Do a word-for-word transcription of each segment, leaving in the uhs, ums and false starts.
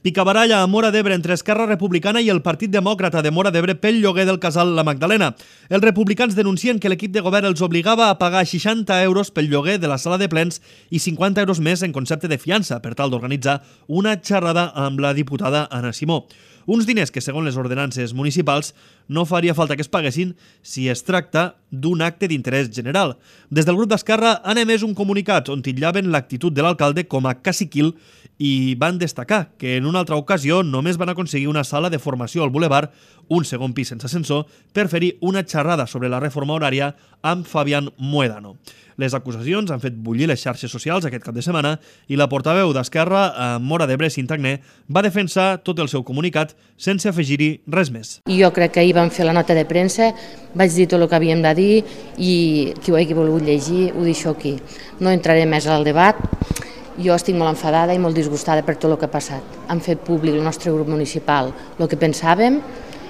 Picabaralla a Móra d'Ebre entre Esquerra Republicana i el Partit Demòcrata de Móra d'Ebre pel lloguer del casal La Magdalena. Els republicans denuncien que l'equip de govern els obligava a pagar seixanta euros pel lloguer de la sala de plens i cinquanta euros més en concepte de fiança per tal d'organitzar una xerrada amb la diputada Anna Simó. Uns diners que, segons les ordenances municipals, no faria falta que es paguessin si es tracta d'un acte d'interès general. Des del grup d'Esquerra han emès un comunicat on titllaven l'actitud de l'alcalde com a caciquil i van destacar que en una altra ocasió només van aconseguir una sala de formació al Boulevard, un segon pis sense ascensor, per fer-hi una xerrada sobre la reforma horària amb Fabián Muedano. Les acusacions han fet bullir les xarxes socials aquest cap de setmana i la portaveu d'Esquerra a Móra d'Ebre, Sintagné, va defensar tot el seu comunicat sense afegir-hi res més. Jo crec que ahir vam fer la nota de premsa, vaig dir tot el que havíem de dir i qui ho hagi volgut llegir ho deixo aquí. No entraré més al debat. Jo estic molt enfadada i molt disgustada per tot el que ha passat. Han fet públic el nostre grup municipal el que pensàvem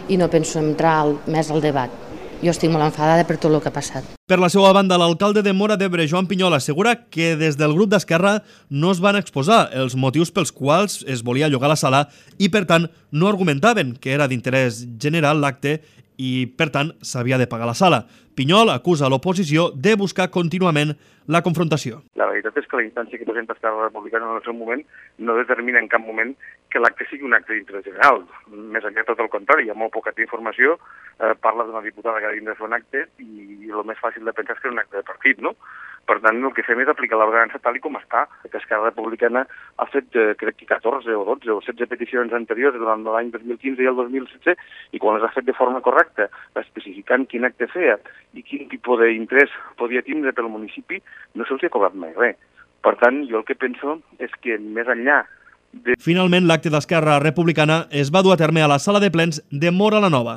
i no penso entrar més al debat. Jo estic molt enfadada per tot el que ha passat. Per la seva banda, l'alcalde de Móra d'Ebre, Joan Pinyol, assegura que des del grup d'Esquerra no es van exposar els motius pels quals es volia llogar la sala i, per tant, no argumentaven que era d'interès general l'acte i, per tant, s'havia de pagar la sala. Pinyol acusa l'oposició de buscar contínuament la confrontació. La veritat és que la instància que presenta Esquerra Republicana en el seu moment no determina en cap moment que l'acte sigui un acte d'interès general. Més enllà, tot el contrari, hi ha molt poca informació, eh, parla d'una diputada que ha de fer un acte i el més fàcil de pensar és que és un acte de partit, no? Per tant, el que fem és aplicar l'ordenança tal i com està. Que Esquerra Republicana ha fet, eh, crec que catorze o dotze o setze peticions anteriors durant l'any dos mil quinze i el dos mil setze, i quan les ha fet de forma correcta, especificant quin acte feia i quin tipus d'interès podia tindre pel municipi, no se'ls ha cobrat mai res. Per tant, jo el que penso és que més enllà de... Finalment, l'acte d'Esquerra Republicana es va dur a terme a la sala de plens de Móra la Nova.